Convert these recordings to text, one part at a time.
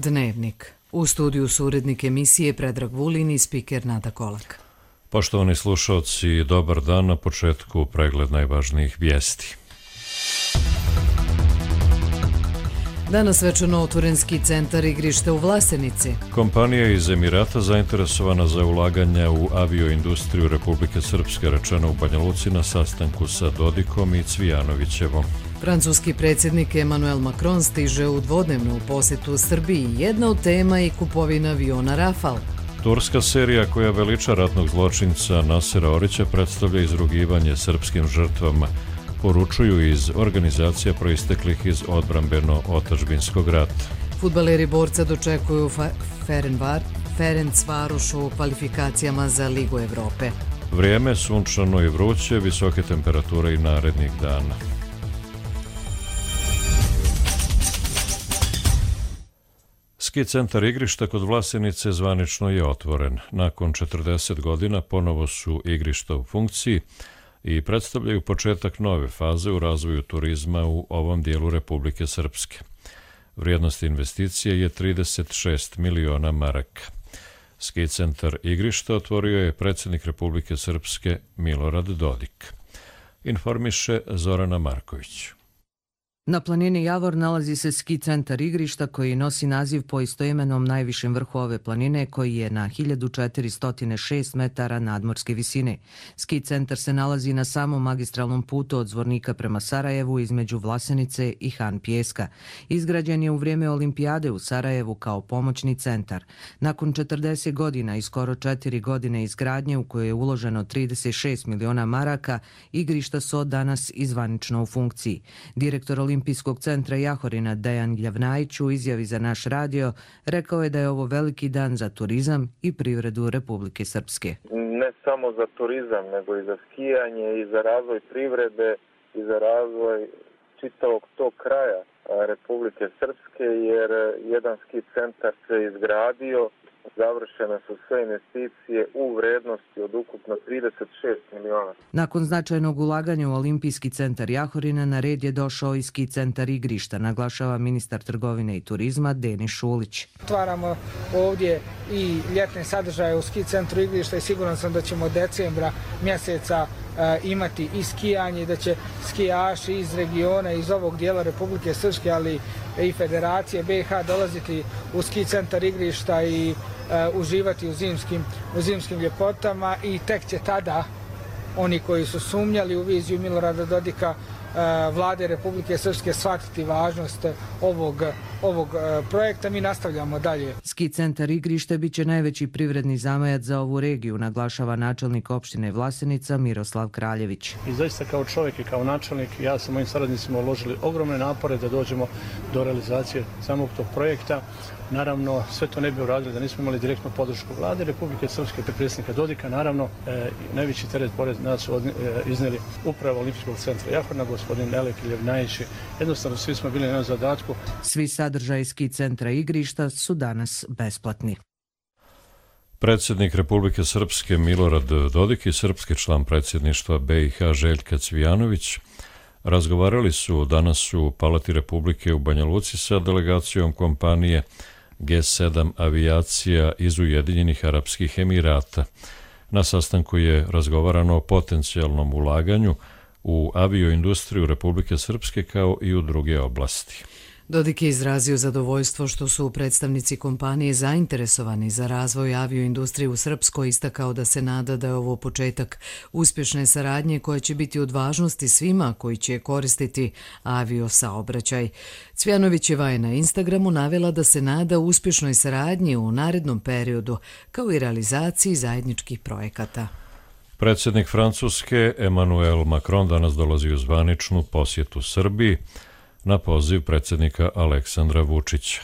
Dnevnik. U studiju su urednik emisije Predrag Vulin i spiker Nada Kolak. Poštovani slušalci, dobar dan. Na početku pregled najvažnijih vijesti. Danas svečano otvoren ski centar igrište u Vlasenici. Kompanija iz Emirata zainteresovana za ulaganja u avioindustriju Republike Srpske, rečeno u Banja Luci na sastanku sa Dodikom i Cvijanovićevom. Francuski predsjednik Emmanuel Macron stiže u dvodnevnu posjetu Srbiji. Jedna od tema je kupovina aviona Rafale. Turska serija koja veliča ratnog zločinca Nasera Orića predstavlja izrugivanje srpskim žrtvama, poručuju iz organizacija proisteklih iz odbrambeno-otadžbinskog rata. Fudbaleri Borca dočekuju Ferencvaroš u kvalifikacijama za Ligu Evrope. Vrijeme sunčano i vruće, visoke temperature i narednih dana. Ski centar igrišta kod Vlasenice zvanično je otvoren. Nakon 40 godina ponovo su igrišta u funkciji i predstavljaju početak nove faze u razvoju turizma u ovom dijelu Republike Srpske. Vrijednost investicije je 36 miliona maraka. Ski centar igrišta otvorio je predsjednik Republike Srpske Milorad Dodik. Informiše Zorana Marković. Na planini Javor nalazi se ski centar igrišta koji nosi naziv po istoimenom najvišem vrhu ove planine koji je na 1406 metara nadmorske visine. Ski centar se nalazi na samom magistralnom putu od Zvornika prema Sarajevu između Vlasenice i Han Pijeska. Izgrađen je u vrijeme olimpijade u Sarajevu kao pomoćni centar. Nakon 40 godina i skoro 4 godine izgradnje u kojoj je uloženo 36 miliona maraka, igrišta su od danas izvanično u funkciji. Direktor Olimpijskog centra Jahorina Dejan Gljavnajić u izjavi za naš radio rekao je da je ovo veliki dan za turizam i privredu Republike Srpske. Ne samo za turizam, nego i za skijanje i za razvoj privrede i za razvoj čitavog tog kraja Republike Srpske, jer jedan ski centar se izgradio, završene su sve investicije u vrednosti od ukupno 36 miliona. Nakon značajnog ulaganja u Olimpijski centar Jahorina na red je došao i ski centar igrišta, naglašava ministar trgovine i turizma Denis Šulić. Otvaramo ovdje i ljetne sadržaje u ski centru igrišta i siguran sam da ćemo od decembra mjeseca imati i skijanje, da će skijaši iz regiona, iz ovog dijela Republike Srpske, ali i Federacije BiH dolaziti u ski centar igrišta i uživati u zimskim ljepotama i tek će tada oni koji su sumnjali u viziju Milorada Dodika, vlade Republike Srpske, shvatiti važnost ovog projekta. Mi nastavljamo dalje. Ski centar igrište bit će najveći privredni zamajac za ovu regiju, naglašava načelnik opštine Vlasenica Miroslav Kraljević. I zaista kao čovjek i kao načelnik, ja sa mojim saradnicima uložili ogromne napore da dođemo do realizacije samog tog projekta. Naravno, sve to ne bi uradili da nismo imali direktnu podršku vlade Republike Srpske, predsjednika Dodika. Naravno, najveći teret pored nas su iznijeli upravo Olimpijskog centra Jahorina, gospodin Elek Gljavnajić. Jednostavno, svi smo bili na zadatku. Svi sadržaji ski centra igrišta su danas besplatni. Predsjednik Republike Srpske Milorad Dodik i srpski član predsjedništva BiH Željka Cvijanović razgovarali su danas u Palati Republike u Banja Luci sa delegacijom kompanije G7 avijacija iz Ujedinjenih Arapskih Emirata. Na sastanku je razgovarano o potencijalnom ulaganju u avioindustriju Republike Srpske kao i u druge oblasti. Dodik je izrazio zadovoljstvo što su predstavnici kompanije zainteresovani za razvoj avioindustrije u Srpskoj, istakao da se nada da je ovo početak uspješne saradnje koja će biti od važnosti svima koji će koristiti aviosaobraćaj. Cvijanovićeva je na Instagramu navela da se nada uspješnoj saradnji u narednom periodu, kao i realizaciji zajedničkih projekata. Predsjednik Francuske Emmanuel Macron danas dolazi u zvaničnu posjetu Srbiji na poziv predsjednika Aleksandra Vučića.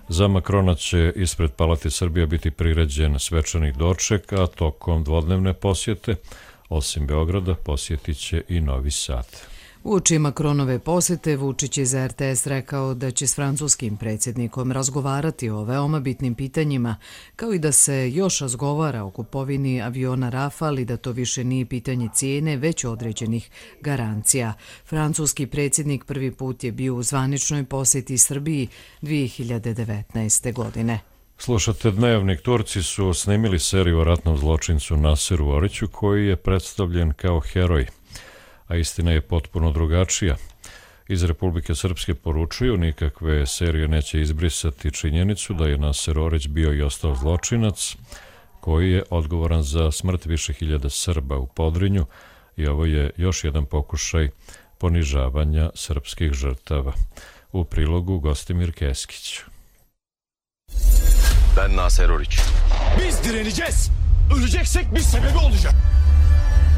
Za Macrona će ispred Palate Srbije biti priređen svečani doček, a tokom dvodnevne posjete, osim Beograda, posjetit će i Novi Sad. Uoči Macronove posete, Vučić je za RTS rekao da će s francuskim predsjednikom razgovarati o veoma bitnim pitanjima, kao i da se još razgovara o kupovini aviona Rafale i da to više nije pitanje cijene, već određenih garancija. Francuski predsjednik prvi put je bio u zvaničnoj posjeti Srbiji 2019. godine. Slušate Dnevnik. Turci su snimili seriju o ratnom zločincu Naseru Oriću, koji je predstavljen kao heroj, a istina je potpuno drugačija. Iz Republike Srpske poručuju, nikakve serije neće izbrisati činjenicu da je Naser Orić bio i ostao zločinac koji je odgovoran za smrt više hiljada Srba u Podrinju i ovo je još jedan pokušaj ponižavanja srpskih žrtava. U prilogu Gostimir Keskić. Ben Naser Orić. Biz direneceğiz. Öleceksek bir sebebi olacak.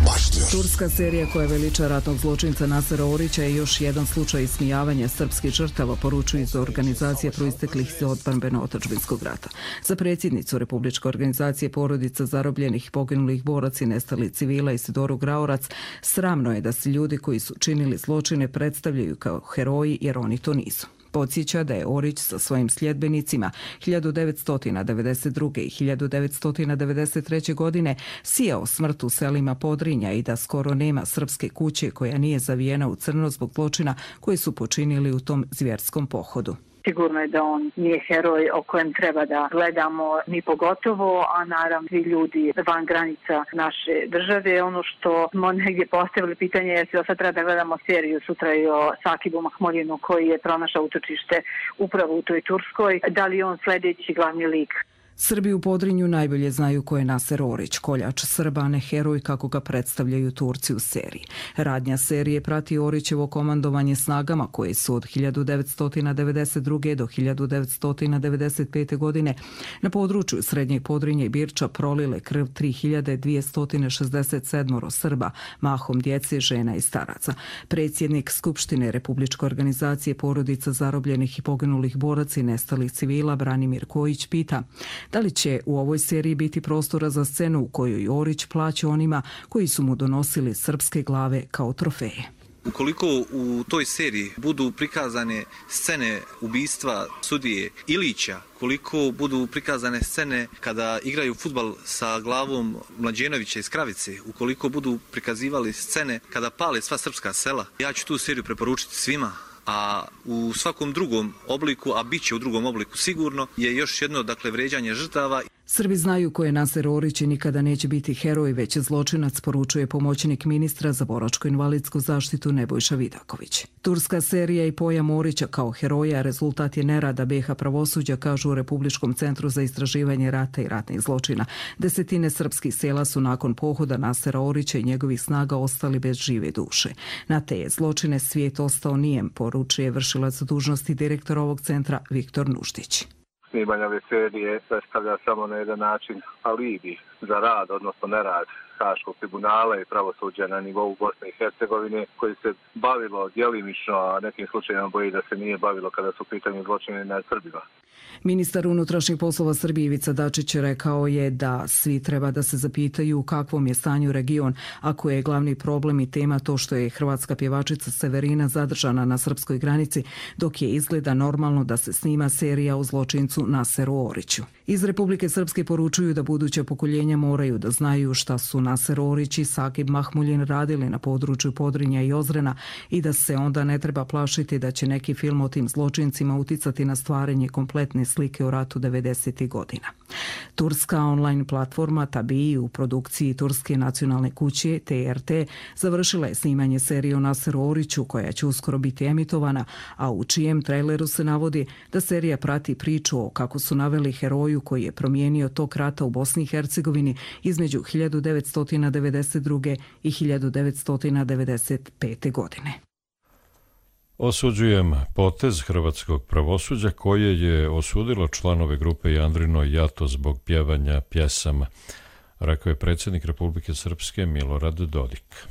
Başlıyor. Turska serija koja veliča ratnog zločinca Nasera Orića je još jedan slučaj ismijavanja srpskih žrtava, poručuju iz organizacije proisteklih iz odbrambeno-otadžbinskog rata. Za predsjednicu Republičke organizacije porodica zarobljenih i poginulih boraca i nestalih civila Isidoru Graorac, sramno je da se ljudi koji su činili zločine predstavljaju kao heroji, jer oni to nisu. Podsjeća da je Orić sa svojim sljedbenicima 1992. i 1993. godine sijao smrt u selima Podrinja i da skoro nema srpske kuće koja nije zavijena u crno zbog zločina koji su počinili u tom zvjerskom pohodu. Sigurno je da on nije heroj o kojem treba da gledamo ni pogotovo, a naravno svi ljudi van granica naše države. Ono što smo negdje postavili pitanje je da sad treba da gledamo seriju sutra i o Sakibu Mahmuljinu koji je pronašao utočište upravo u toj Turskoj. Da li je on sljedeći glavni lik? Srbi u Podrinju najbolje znaju ko je Naser Orić, koljač Srba, a ne heroj kako ga predstavljaju Turci u seriji. Radnja serije prati Orićevo komandovanje snagama koje su od 1992. do 1995. godine na području Srednjeg Podrinja i Birča prolile krv 3267 Srba, mahom djece, žena i staraca. Predsjednik Skupštine Republičke organizacije porodica zarobljenih i poginulih boraca i nestalih civila Branimir Kojić pita da li će u ovoj seriji biti prostora za scenu u kojoj Orić plaća onima koji su mu donosili srpske glave kao trofeje. Ukoliko u toj seriji budu prikazane scene ubistva sudije Ilića, koliko budu prikazane scene kada igraju fudbal sa glavom Mlađenovića iz Kravice, ukoliko budu prikazivali scene kada pale sva srpska sela, ja ću tu seriju preporučiti svima. A u svakom drugom obliku, a bit će u drugom obliku sigurno, je još jedno vrijeđanje žrtava. Srbi znaju ko je Naser Orić i nikada neće biti heroj, već zločinac, poručuje pomoćnik ministra za boračko-invalidsku zaštitu Nebojša Vidaković. Turska serija i pojam Orića kao heroja rezultat je nerada BiH pravosuđa, kažu u Republičkom centru za istraživanje rata i ratnih zločina. Desetine srpskih sela su nakon pohoda Nasera Orića i njegovih snaga ostali bez žive duše. Na te je zločine svijet ostao nijem, poručuje vršilac dužnosti direktor ovog centra Viktor Nuštić. Snimanje ove serije predstavlja samo na jedan način alibi za rad, odnosno nerad Haškog tribunala i pravosuđa na nivou Bosne i Hercegovine, koji se bavilo djelimično, a nekim slučajima boji da se nije bavilo kada su pitanje zločine nad Srbima. Ministar unutrašnjih poslova Srbije Ivica Dačić rekao je da svi treba da se zapitaju u kakvom je stanju region, ako je glavni problem i tema to što je hrvatska pjevačica Severina zadržana na srpskoj granici, dok je izgleda normalno da se snima serija o zločincu Naseru Oriću. Iz Republike Srpske poručuju da buduća pokoljenja moraju da znaju šta su Naser Orić i Sakib Mahmuljin radili na području Podrinja i Ozrena i da se onda ne treba plašiti da će neki film o tim zločincima uticati na stvaranje kompletne slike o ratu 90. godina. Turska online platforma Tabii u produkciji Turske nacionalne kuće TRT završila je snimanje serije o Naseru Oriću koja će uskoro biti emitovana, a u čijem traileru se navodi da serija prati priču o kako su naveli heroju koji je promijenio tok rata u Bosni i Hercegovini između 1992. i 1995. godine. Osuđujem potez hrvatskog pravosuđa koje je osudilo članove grupe Jandrino i Jato zbog pjevanja pjesama, rekao je predsjednik Republike Srpske Milorad Dodik.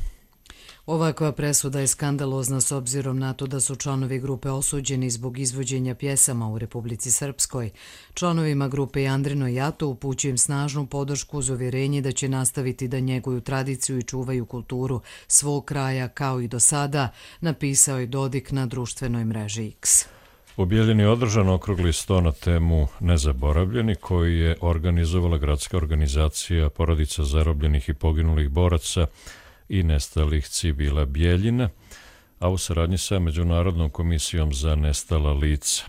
Ovakva presuda je skandalozna s obzirom na to da su članovi grupe osuđeni zbog izvođenja pjesama u Republici Srpskoj. Članovima grupe Jandrino i Jato upućujem snažnu podršku uz uvjerenje da će nastaviti da njeguju tradiciju i čuvaju kulturu svog kraja kao i do sada, napisao je Dodik na društvenoj mreži X. U Bijeljini je održan okrugli sto na temu Nezaboravljeni, koji je organizovala gradska organizacija porodica zarobljenih i poginulih boraca i nestalih civila Bijeljina, a u saradnji sa Međunarodnom komisijom za nestala lica.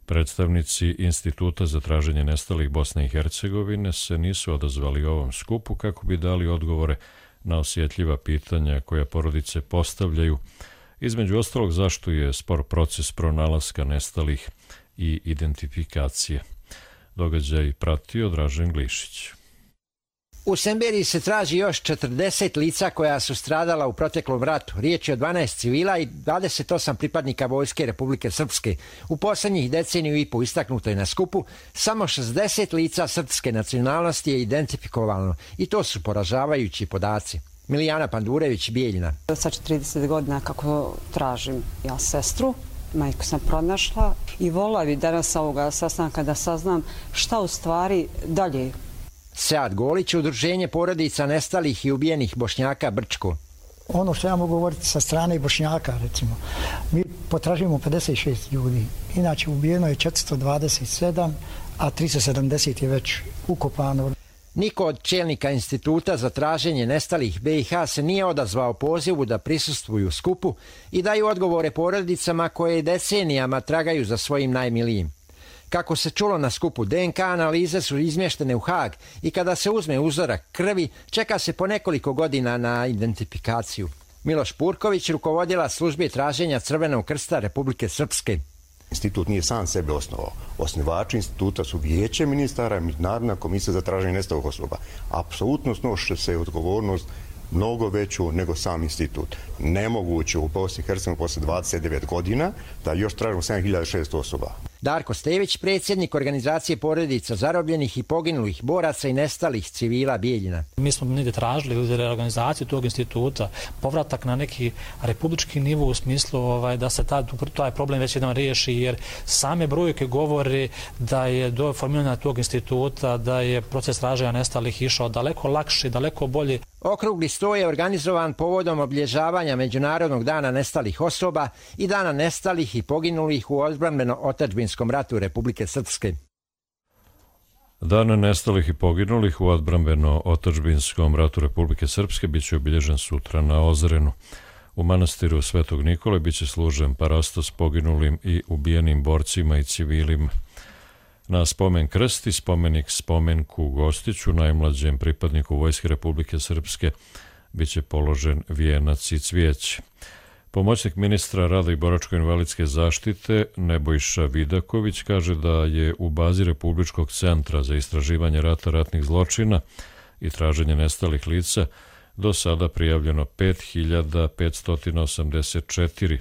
Predstavnici Instituta za traženje nestalih Bosne i Hercegovine se nisu odazvali ovom skupu kako bi dali odgovore na osjetljiva pitanja koja porodice postavljaju, između ostalog zašto je spor proces pronalaska nestalih i identifikacije. Događaj pratio Dražen Glišić. U Semberiji se traži još 40 lica koja su stradala u proteklom ratu. Riječ je o 12 civila i 28 pripadnika Vojske Republike Srpske. U posljednjih deceniju i po istaknuto je na skupu, samo 60 lica srpske nacionalnosti je identifikovano i to su poražavajući podaci. Milijana Pandurević, Bijeljina. Sad 30 godina kako tražim ja sestru, majku sam pronašla i volila bi danas ovoga sastanka da saznam šta u stvari dalje. Sead Golić, udruženje porodica nestalih i ubijenih Bošnjaka Brčko. Ono što ja mogu govoriti sa strane Bošnjaka, recimo, mi potražujemo 56 ljudi, inače ubijeno je 427, a 370 je već ukopano. Niko od čelnika Instituta za traženje nestalih BiH se nije odazvao pozivu da prisustvuju skupu i daju odgovore porodicama koje decenijama tragaju za svojim najmilijim. Kako se čulo na skupu, DNK analize su izmještene u Haag i kada se uzme uzorak krvi, čeka se po nekoliko godina na identifikaciju. Miloš Purković, rukovodila službe traženja Crvenog krsta Republike Srpske. Institut nije sam sebe osnovao. Osnivači instituta su Vijeće ministara i Međunarodna komisija za traženje nestalih osoba. Apsolutno snoše se odgovornost mnogo veću nego sam institut. Nemoguće u Bosni i Hercegovini posle 29 godina da još tražimo 7600 osoba. Darko Stević, predsjednik organizacije porodica zarobljenih i poginulih boraca i nestalih civila Bijeljina. Mi smo negdje tražili u reorganizaciju tog instituta povratak na neki republički nivo u smislu da se taj problem već jednom riješi, jer same brojke govore da je do formiranja tog instituta, da je proces traženja nestalih išao daleko lakše, daleko bolje. Okrugli sto je organizovan povodom obilježavanja Međunarodnog dana nestalih osoba i dana nestalih i poginulih u odbrambeno-otadžbinskom ratu Republike Srpske. Dan nestalih i poginulih u odbrambeno-otadžbinskom ratu Republike Srpske biće obilježen sutra na Ozrenu. U manastiru Svetog Nikole biće služen parastos poginulim i ubijenim borcima i civilima. Na spomen krsti spomenik spomenku Gostiću, najmlađem pripadniku Vojske Republike Srpske, biće položen vijenac i cvijeće. Pomoćnik ministra rada i boračko-invalidske zaštite Nebojša Vidaković kaže da je u bazi Republičkog centra za istraživanje rata, ratnih zločina i traženje nestalih lica do sada prijavljeno 5584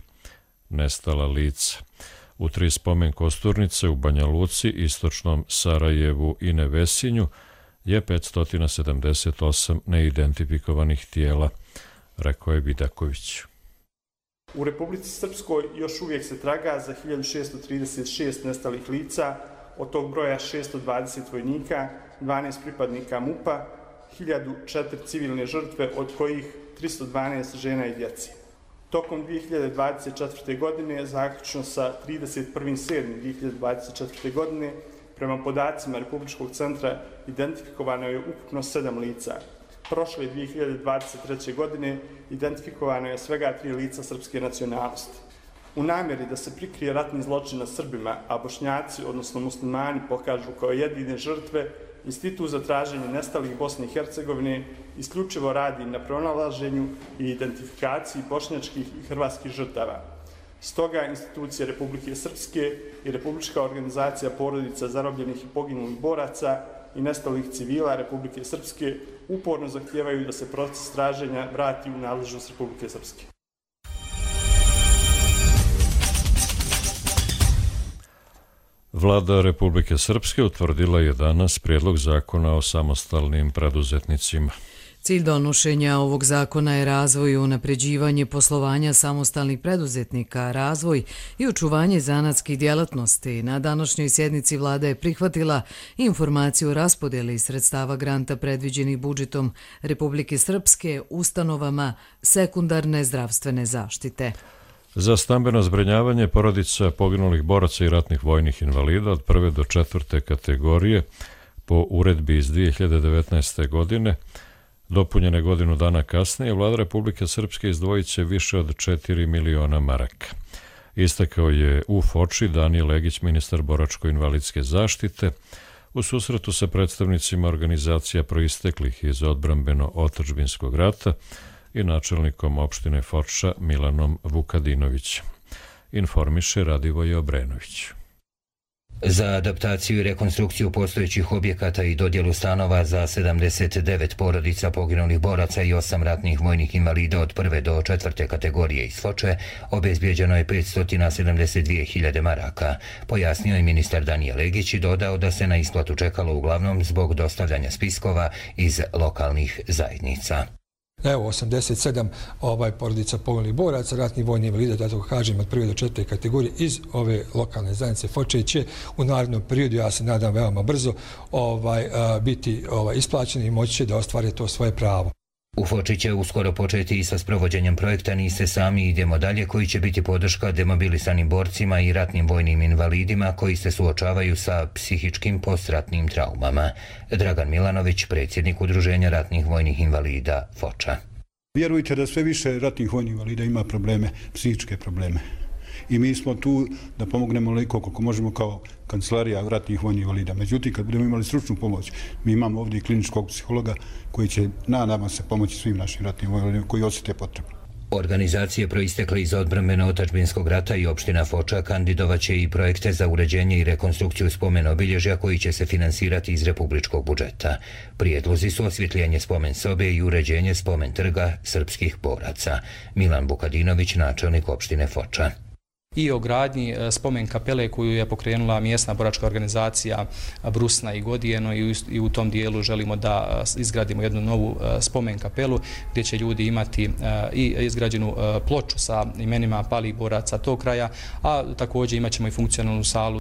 nestala lica. U 3 spomen kosturnice u Banja Luci, istočnom Sarajevu i Nevesinju je 578 neidentifikovanih tijela, rekao je Vidaković. U Republici Srpskoj još uvijek se traga za 1636 nestalih lica, od tog broja 620 vojnika, 12 pripadnika MUP-a, 1004 civilne žrtve, od kojih 312 žena i djece. Tokom 2024. godine, zaključno sa 31.7.2024. godine, prema podacima Republičkog centra identifikovano je ukupno 7 lica. Prošle 2023. godine identifikovano je svega 3 lica srpske nacionalnosti. U namjeri da se prikrije ratni zločin nad Srbima, a Bošnjaci, odnosno muslimani, pokažu kao jedine žrtve, Institut za traženje nestalih Bosne i Hercegovine isključivo radi na pronalaženju i identifikaciji bošnjačkih i hrvatskih žrtava. Stoga institucije Republike Srpske i Republička organizacija porodica zarobljenih i poginulih boraca i nestalih civila Republike Srpske uporno zahtijevaju da se proces traženja vrati u nadležnost Republike Srpske. Vlada Republike Srpske utvrdila je danas prijedlog zakona o samostalnim preduzetnicima. Cilj donošenja ovog zakona je razvoj i unapređivanje poslovanja samostalnih preduzetnika, razvoj i očuvanje zanatskih djelatnosti. Na današnjoj sjednici vlada je prihvatila informaciju o raspodjeli sredstava granta predviđenih budžetom Republike Srpske ustanovama sekundarne zdravstvene zaštite. Za stambeno zbrinjavanje porodica poginulih boraca i ratnih vojnih invalida od 1. do 4. kategorije po uredbi iz 2019. godine, dopunjene godinu dana kasnije, vlada Republike Srpske izdvojit će više od 4 miliona maraka. Istakao je u Foči Danijel Legić, ministar boračko-invalidske zaštite, u susretu sa predstavnicima organizacija proisteklih iz odbrambeno-otadžbinskog rata i načelnikom opštine Foča Milanom Vukadinovićem. Informiše Radivoje Obrenović. Za adaptaciju i rekonstrukciju postojećih objekata i dodjelu stanova za 79 porodica poginulih boraca i 8 ratnih vojnih invalida od 1. do 4. kategorije iz Foče obezbijeđeno je 572.000 maraka, pojasnio je ministar Danijel Legić i dodao da se na isplatu čekalo uglavnom zbog dostavljanja spiskova iz lokalnih zajednica. Evo, 87 porodica poginulih boraca, ratnih vojnih invalida, da tako kažem, od 1. do 4. kategorije iz ove lokalne zajednice Foče će u narednom periodu, ja se nadam veoma brzo, biti isplaćeni i moći će da ostvare to svoje pravo. U Foči će uskoro početi i sa sprovođenjem projekta Niste sami, idemo dalje, koji će biti podrška demobilisanim borcima i ratnim vojnim invalidima koji se suočavaju sa psihičkim postratnim traumama. Dragan Milanović, predsjednik Udruženja ratnih vojnih invalida Foča. Vjerujte da sve više ratnih vojnih invalida ima probleme, psihičke probleme. I mi smo tu da pomognemo koliko koliko možemo kao kancelarija ratnih vojnih invalida. Međutim, kad budemo imali stručnu pomoć, mi imamo ovdje i kliničkog psihologa koji će nadam se pomoći svim našim ratnim vojnim invalidima koji osjete potrebu. Organizacije proistekle iz odbrambeno-otadžbinskog rata i opština Foča kandidovaće i projekte za uređenje i rekonstrukciju spomen obilježja koji će se finansirati iz republičkog budžeta. Prijedlozi su osvjetljenje spomen sobe i uređenje spomen trga srpskih boraca. Milan Vukadinović, načelnik opštine Foča. I o gradnji spomen kapele koju je pokrenula mjesna boračka organizacija Brusna i Godijeno i u tom dijelu želimo da izgradimo jednu novu spomen kapelu gdje će ljudi imati i izgrađenu ploču sa imenima palih boraca tog kraja, a također imat ćemo i funkcionalnu salu.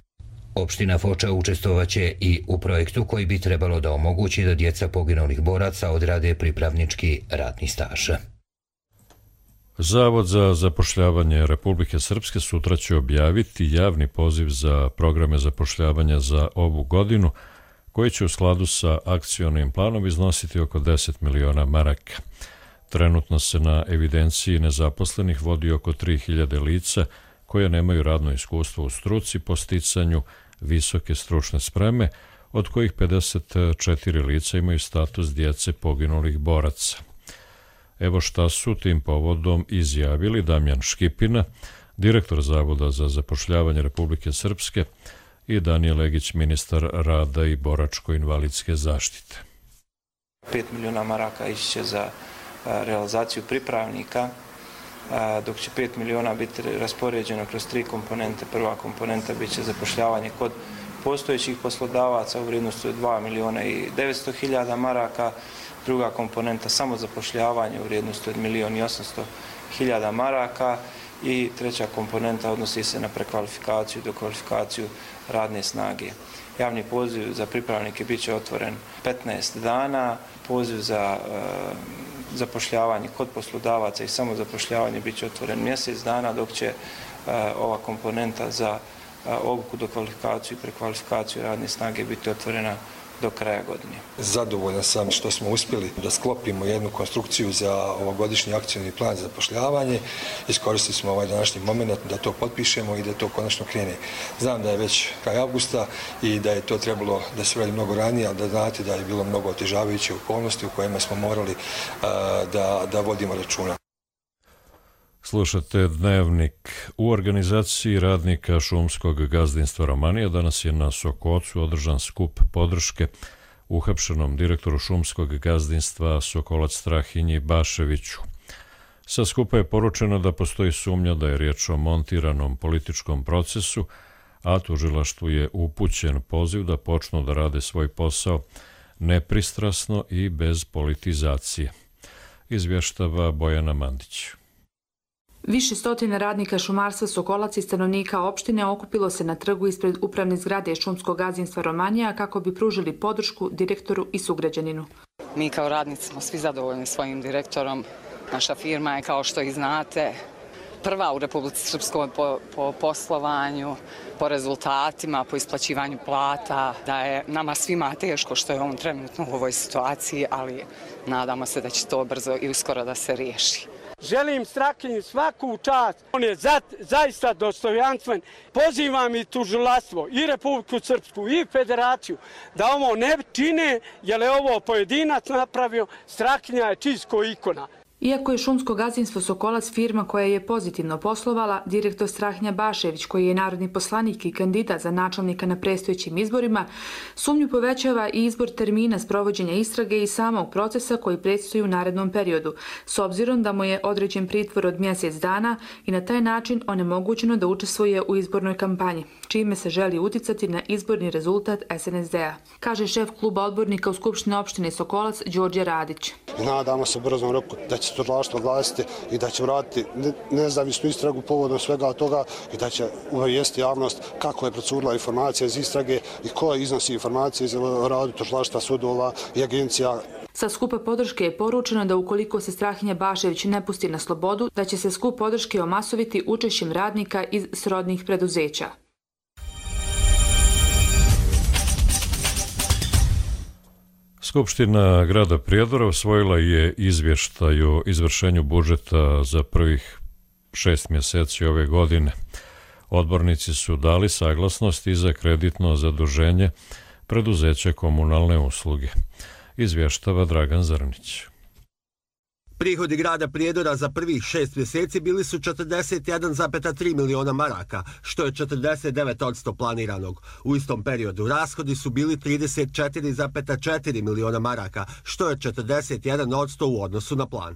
Opština Foča učestvovaće i u projektu koji bi trebalo da omogući da djeca poginulih boraca odrade pripravnički radni staž. Zavod za zapošljavanje Republike Srpske sutra će objaviti javni poziv za programe zapošljavanja za ovu godinu, koji će u skladu sa akcionim planom iznositi oko 10 miliona maraka. Trenutno se na evidenciji nezaposlenih vodi oko 3000 lica koje nemaju radno iskustvo u struci po sticanju visoke stručne spreme, od kojih 54 lica imaju status djece poginulih boraca. Evo šta su tim povodom izjavili Damjan Škipina, direktor Zavoda za zapošljavanje Republike Srpske, i Danijel Legić, ministar rada i boračko-invalidske zaštite. 5 miliona maraka ići će za realizaciju pripravnika, dok će 5 miliona biti raspoređeno kroz 3 komponente. Prva komponenta bit će zapošljavanje kod postojećih poslodavaca u vrijednosti od 2 miliona i 900 hiljada maraka, druga komponenta samo zapošljavanje u vrijednosti od 1.800.000 maraka i treća komponenta odnosi se na prekvalifikaciju i dokvalifikaciju radne snage. Javni poziv za pripravnike bit će otvoren 15 dana, poziv za zapošljavanje kod poslodavaca i samo zapošljavanje bit će otvoren mjesec dana, dok će ova komponenta za obuku, dokvalifikaciju i prekvalifikaciju radne snage biti otvorena do kraja godine. Zadovoljan sam što smo uspjeli da sklopimo jednu konstrukciju za ovogodišnji akcioni plan za zapošljavanje. Iskoristili smo ovaj današnji moment da to potpišemo i da to konačno krene. Znam da je već kraj avgusta i da je to trebalo da se radi mnogo ranije, ali da znate da je bilo mnogo otežavajuće okolnosti u kojima smo morali da vodimo računa. Slušate Dnevnik. U organizaciji radnika šumskog gazdinstva Romanija danas je na Sokocu održan skup podrške uhapšenom direktoru šumskog gazdinstva Sokolac Strahinji Baševiću. Sa skupa je poručeno da postoji sumnja da je riječ o montiranom političkom procesu, a tužilaštvu je upućen poziv da počnu da rade svoj posao nepristrasno i bez politizacije. Izvještava Bojana Mandić. Više stotina radnika šumarstva Sokolac i stanovnika opštine okupilo se na trgu ispred upravne zgrade šumskog gazdinstva Romanija kako bi pružili podršku direktoru i sugrađaninu. Mi kao radnici smo svi zadovoljni svojim direktorom. Naša firma je, kao što i znate, prva u Republici Srpskoj po poslovanju, po rezultatima, po isplaćivanju plata, da je nama svima teško što je on trenutno u ovoj situaciji, ali nadamo se da će to brzo i uskoro da se riješi. Želim Strahinji svaku čast. On je zaista dostojanstven. Pozivam i tužilaštvo, i Republiku Srpsku, i Federaciju da ovo ne čine, jer je ovo pojedinac napravio. Strahinja je čisto ikona. Iako je šumsko gazdinstvo Sokolac firma koja je pozitivno poslovala, direktor Strahinja Bašević, koji je narodni poslanik i kandidat za načelnika na predstojećim izborima, sumnju povećava i izbor termina sprovođenja istrage i samog procesa koji predstoji u narednom periodu, s obzirom da mu je određen pritvor od mjesec dana i na taj način onemogućeno da učestvuje u izbornoj kampanji, čime se želi uticati na izborni rezultat SNSD-a, kaže šef kluba odbornika u Skupštini opštine Sokolac Đorđe Radić. Nadamo se brzom roku da će tužilaštvo oglasiti i da će vratiti nezavisnu istragu povodom svega toga i da će uvijesti javnost kako je procurila informacija iz istrage i ko iznosi informacije iz radu tužilaštva, sudova i agencija. Sa skupa podrške je poručeno da ukoliko se Strahinja Bašević ne pusti na slobodu, da će se skup podrške omasoviti učešćem radnika iz srodnih preduzeća. Skupština grada Prijedora usvojila je izvještaj o izvršenju budžeta za prvih 6 mjeseci ove godine. Odbornici su dali saglasnost i za kreditno zaduženje preduzeća komunalne usluge. Izvještava Dragan Zrnić. Prihodi grada Prijedora za prvih 6 mjeseci bili su 41,3 miliona maraka, što je 49% planiranog. U istom periodu rashodi su bili 34,4 miliona maraka, što je 41% u odnosu na plan.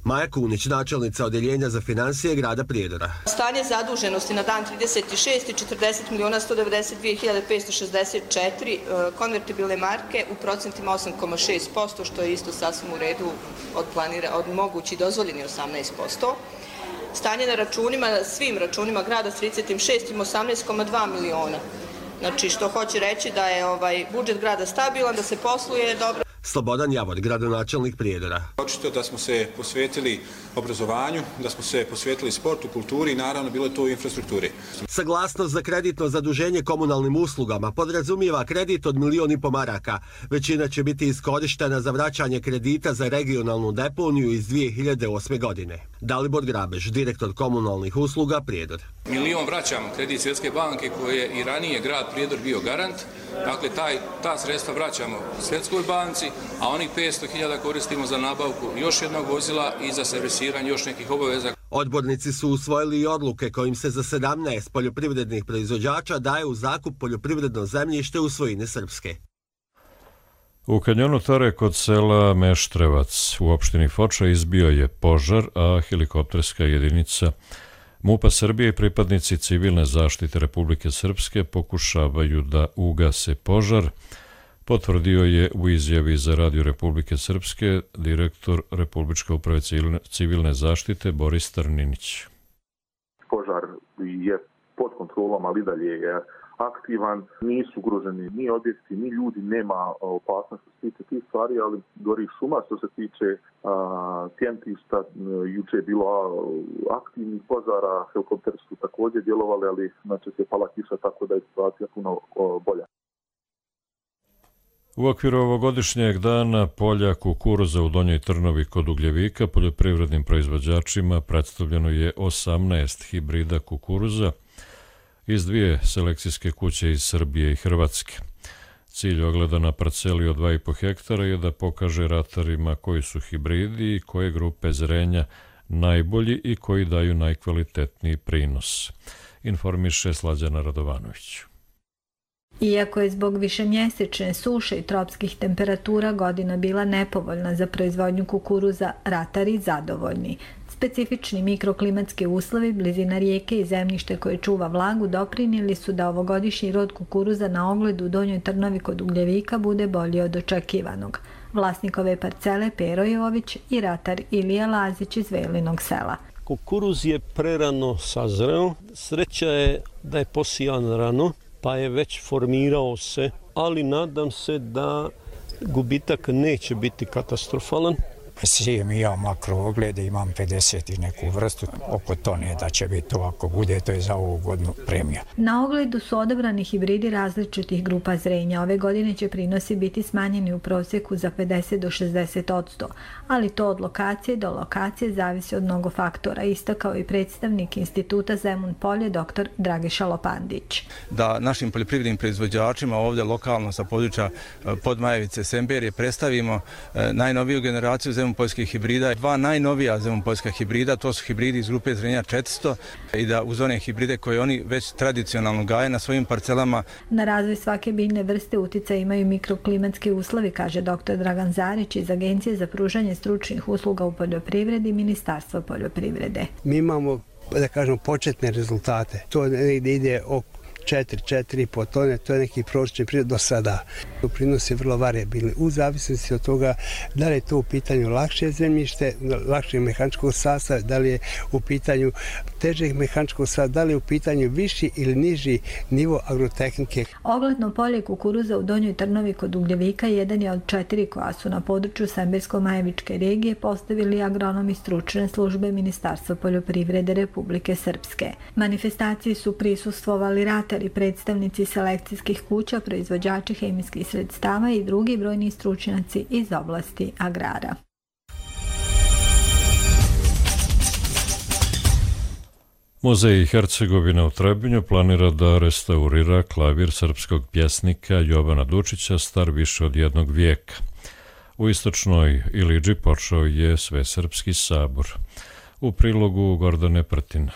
Maja Kunić, načelnica Odeljenja za financije grada Prijedora. Stanje zaduženosti na dan 36 i 40.192.564 konvertibilne marke u procentima 8,6%, što je isto sasvim u redu od mogući dozvoljeni 18%. Stanje na računima, svim računima grada s 36 ima 18,2 miliona. Znači, što hoće reći da je budžet grada stabilan, da se posluje dobro. Slobodan Javor, gradonačelnik Prijedora. Očito da smo se posvetili obrazovanju, da smo se posvetili sportu, kulturi i naravno bilo je to u infrastrukturi. Saglasnost za kreditno zaduženje komunalnim uslugama podrazumijeva kredit od 1,5 miliona maraka. Većina će biti iskorištena za vraćanje kredita za regionalnu deponiju iz 2008. godine. Dalibor Grabež, direktor komunalnih usluga Prijedor. 1 milion vraćamo kredit Svjetske banke koje je i ranije grad Prijedor bio garant. Dakle, ta sredstva vraćamo Svjetskoj banci, a onih 500.000 koristimo za nabavku još jednog vozila i za servisiranje još nekih obaveza. Odbornici su usvojili i odluke kojim se za 17 poljoprivrednih proizvođača daje u zakup poljoprivredno zemljište u svojini Srpske. U kanjonu Tare kod sela Meštrevac u opštini Foča izbio je požar, a helikopterska jedinica MUP-a Srbije i pripadnici civilne zaštite Republike Srpske pokušavaju da ugase požar, potvrdio je u izjavi za Radio Republike Srpske direktor Republičke uprave civilne zaštite Boris Trninić. Požar je pod kontrolom, ali dalje je aktivan, nisu ugroženi ni objekti, ni ljudi, nema opasnosti što se tiče tih stvari, ali gori šuma. Što se tiče sjentišta, juče je bilo aktivnih požara, helikopteri su također djelovali, ali znači se pala kiša, tako da je situacija puno bolja. U okviru ovogodišnjeg dana polja kukuruza u Donjoj Trnovi kod Ugljevika poljoprivrednim proizvođačima predstavljeno je 18 hibrida kukuruza iz 2 selekcijske kuće iz Srbije i Hrvatske. Cilj ogleda na parceli od 2,5 hektara je da pokaže ratarima koji su hibridi i koje grupe zrenja najbolji i koji daju najkvalitetniji prinos, informiše Slađana Radovanović. Iako je zbog višemjesečne suše i tropskih temperatura godina bila nepovoljna za proizvodnju kukuruza, ratari zadovoljni. Specifični mikroklimatski uslovi, blizina rijeke i zemljište koje čuva vlagu doprinijeli su da ovogodišnji rod kukuruza na ogled u Donjoj Trnovi kod Ugljevika bude bolji od očekivanog. Vlasnik ove parcele Pero Jović i ratar Ilija Lazić iz Velinog sela. Kukuruz je prerano sazreo. Sreća je da je posijan rano, pa je već formirao se, ali nadam se da gubitak neće biti katastrofalan. Sijem i ja makrooglede, imam 50 i neku vrstu, oko tone da će biti to, ako bude, to je za ovu godinu premija. Na ogledu su odabrani hibridi različitih grupa zrenja. Ove godine će prinosi biti smanjeni u prosjeku za 50 do 60%, ali to od lokacije do lokacije zavisi od mnogo faktora, istakao i predstavnik Instituta Zemun Polje dr. Dragiša Lopandić. Da našim poljoprivrednim proizvođačima ovdje lokalno sa područja Podmajevice, Semberije predstavimo najnoviju generaciju zemunpoljskih hibrida. Dva najnovija zemunpoljska hibrida, to su hibridi iz grupe zrenja 400 i da uz one hibride koje oni već tradicionalno gaje na svojim parcelama. Na razvoj svake biljne vrste utjecaj imaju mikroklimatski uslovi, kaže dr. Dragan Zarić iz Agencije za pružanje stručnih usluga u poljoprivredi i Ministarstva poljoprivrede. Mi imamo, da kažemo, početne rezultate. To ide oko 4,5 tone, to je neki prosječni prinos do sada. Prinos je vrlo variabilni u zavisnosti od toga da li je to u pitanju lakše zemljište, lakšeg mehaničkog sastava, da li je u pitanju težeg mehaničkog sastava, da li je u pitanju viši ili niži nivo agrotehnike. Ogledno polje kukuruza u Donjoj Trnovi kod Ugljevika jedan je od 4 koja su na području Sembersko-Majevičke regije postavili agronomi stručne službe Ministarstva poljoprivrede Republike Srpske. Manifestaciji su prisustvovali i predstavnici selekcijskih kuća, proizvođači hemijskih sredstava i drugi brojni stručnjaci iz oblasti agrara. Muzej Hercegovine u Trebinju planira da restaurira klavir srpskog pjesnika Jovana Dučića star više od 1 vijeka. U istočnoj Ilidži počeo je Svesrpski sabor. U prilogu Gordane Prtina.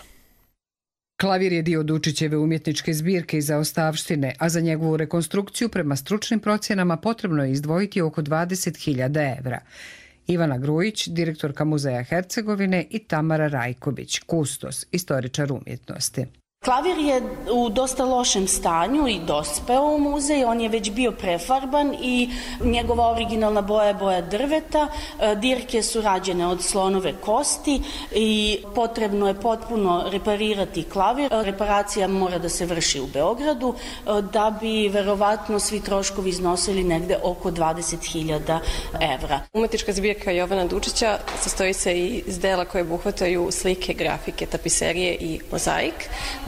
Klavir je dio Dučićeve umjetničke zbirke i zaostavštine, a za njegovu rekonstrukciju prema stručnim procjenama potrebno je izdvojiti oko 20.000 evra. Ivana Grujić, direktorka Muzeja Hercegovine, i Tamara Rajković, kustos, istoričar umjetnosti. Klavir je u dosta lošem stanju i dospeo u muzej, on je već bio prefarban i njegova originalna boja je boja drveta, dirke su rađene od slonove kosti i potrebno je potpuno reparirati klavir. Reparacija mora da se vrši u Beogradu da bi verovatno svi troškovi iznosili negde oko 20.000 evra. Umetnička zbirka Jovana Dučića sastoji se iz dela koje obuhvataju slike, grafike, tapiserije i mozaik.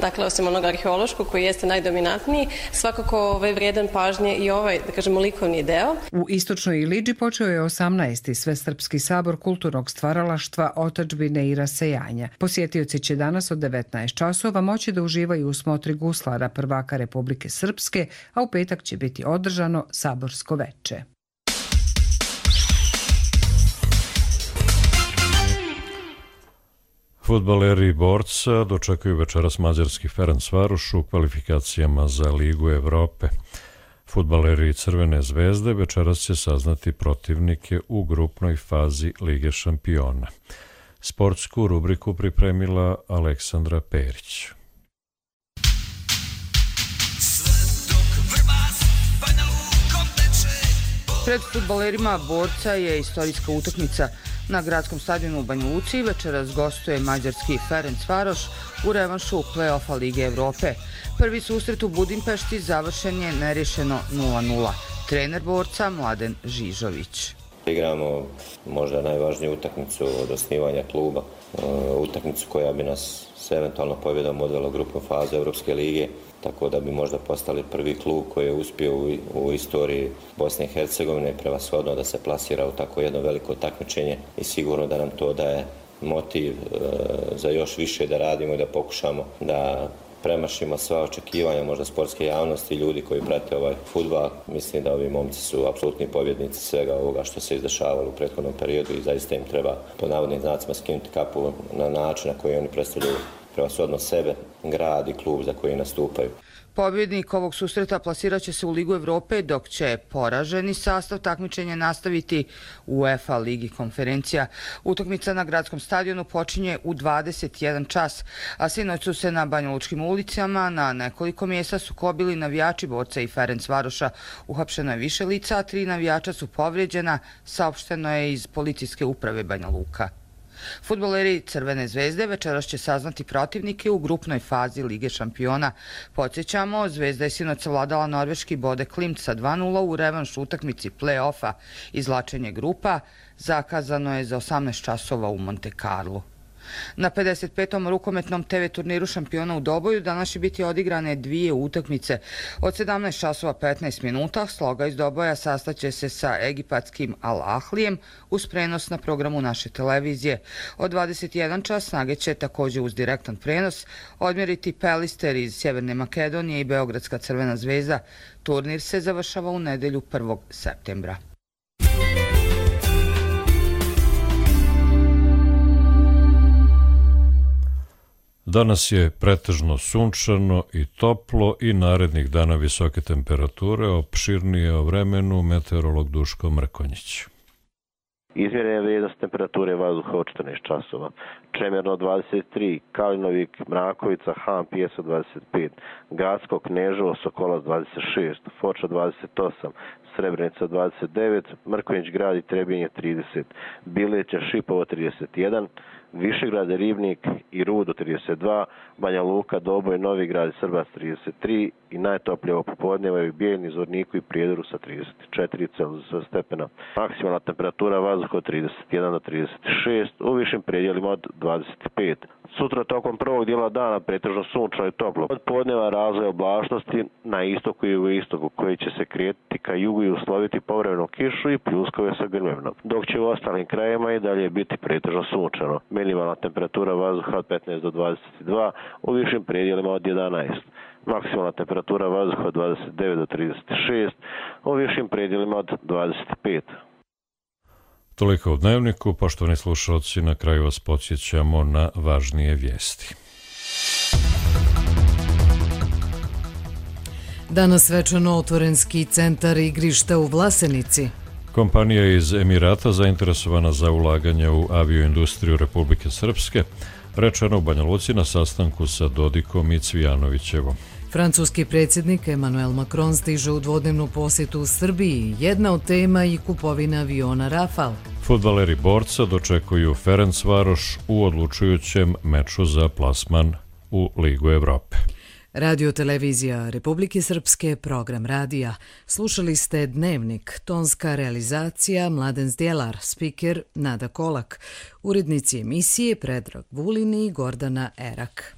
Dakle, osim onog arheološkog koji jeste najdominantniji, svakako vrijedan pažnje i da kažemo, likovni deo. U istočnoj Ilidži počeo je 18. Svesrpski sabor kulturnog stvaralaštva, otadžbine i rasejanja. Posjetioci će danas od 19 časova moći da uživaju u smotri guslara prvaka Republike Srpske, a u petak će biti održano saborsko veče. Fudbaleri Borca dočekuju večeras mađarski Ferencvaroš u kvalifikacijama za Ligu Evrope. Fudbaleri Crvene zvezde večeras će saznati protivnike u grupnoj fazi Lige šampiona. Sportsku rubriku pripremila Aleksandra Perić. Pred fudbalerima Borca je istorijska utakmica na gradskom stadionu u Banja Luci. Večeras gostuje mađarski Ferencvaroš u revanšu play-offa Lige Evrope. Prvi susret u Budimpešti završen je nerješeno 0:0. Trener Borca Mladen Žižović. Igramo možda najvažniju utakmicu od osnivanja kluba, utakmicu koja bi nas s eventualno pobjedom odvela u grupnu fazu Evropske lige, tako da bi možda postali prvi klub koji je uspio u istoriji Bosne i Hercegovine prevashodno da se plasira u tako jedno veliko takmičenje i sigurno da nam to daje motiv za još više da radimo i da pokušamo da premašimo sva očekivanja možda sportske javnosti i ljudi koji prate ovaj fudbal. Mislim da ovi momci su apsolutni pobjednici svega ovoga što se izdešavalo u prethodnom periodu i zaista im treba po navodnim znacima skinuti kapu na način na koji oni predstavljaju prevashodno sebe, grad i klub za koji nastupaju. Pobjednik ovog susreta plasirat će se u Ligu Evrope, dok će poraženi sastav takmičenja nastaviti u UEFA Ligi konferencija. Utakmica na gradskom stadionu počinje u 21 čas, a sinoć su se na banjalučkim ulicama na nekoliko mjesta sukobili navijači Borca i Ferencvaroša. Uhapšeno je više lica, a 3 navijača su povrijeđena, saopšteno je iz policijske uprave Banja Luka. Fudbaleri Crvene zvezde večeras će saznati protivnike u grupnoj fazi Lige šampiona. Podsjećamo, Zvezda je sinoć savladala norveški Bode Klimt sa 2:0 u revanš utakmici play-offa. Izvlačenje grupa zakazano je za 18 časova u Monte Carlo. Na 55. rukometnom TV turniru šampiona u Doboju danas će biti odigrane 2 utakmice. Od 17 časova 15 minuta Sloga iz Doboja sastaće se sa egipatskim Al Ahlijem uz prenos na programu naše televizije. Od 21 čas Snage će također uz direktan prenos odmjeriti Pelister iz Sjeverne Makedonije i Beogradska Crvena zvezda. Turnir se završava u nedjelju 1. septembra. Danas je pretežno sunčano i toplo i narednih dana visoke temperature. Opširnije o vremenu meteorolog Duško Mrkonjić. Izmjerena vrijednost temperature vazduha od 14 časova. Čemerno 23, Kalinovik, Mrakovica, Han, Pjeso 25, Gradsko, Kneževo, Sokolac 26, Foča 28, Srebrenica 29, Mrkonjić grad i Trebinje 30, Bileća, Šipovo 31, Višegrad, Ribnik i Rudo 32, Banja Luka, Doboj, Novi Grad i Srbac 33 i najtoplije ovo popodneva je u Bijeljni, Zvorniku i Prijedoru sa 34 Celzijusa stepena. Maksimalna temperatura vazduha od 31 do 36, u višim predjelima od 25. Sutra tokom prvog dijela dana pretežno sunčano i toplo. Od podneva razvoj oblačnosti na istoku i u istoku koji će se kretati ka jugu i usloviti povremenu kišu i pljuskove sa grmevnom. Dok će u ostalim krajevima i dalje biti pretežno sunčano. Minimalna temperatura vazduha od 15 do 22, u višim predjelima od 11. Maksimalna temperatura vazduha od 29 do 36, u višim predjelima od 25. Toliko u Dnevniku. Poštovani slušalci, na kraju vas podsjećamo na važnije vijesti. Danas svečano otvoren ski centar igrišta u Vlasenici. Kompanija iz Emirata zainteresovana za ulaganje u avioindustriju Republike Srpske, rečeno u Banja Luci na sastanku sa Dodikom i Cvijanovićevom. Francuski predsjednik Emmanuel Macron stiže u dvodnevnu posjetu u Srbiji. Jedna od tema i kupovina aviona Rafale. Fudbaleri Borca dočekuju Ferencvaroš u odlučujućem meču za plasman u Ligu Evrope. Radio televizija Republike Srpske, program radija. Slušali ste Dnevnik, tonska realizacija Mladen Zdjelar, spiker Nada Kolak, urednici emisije Predrag Vulin i Gordana Erak.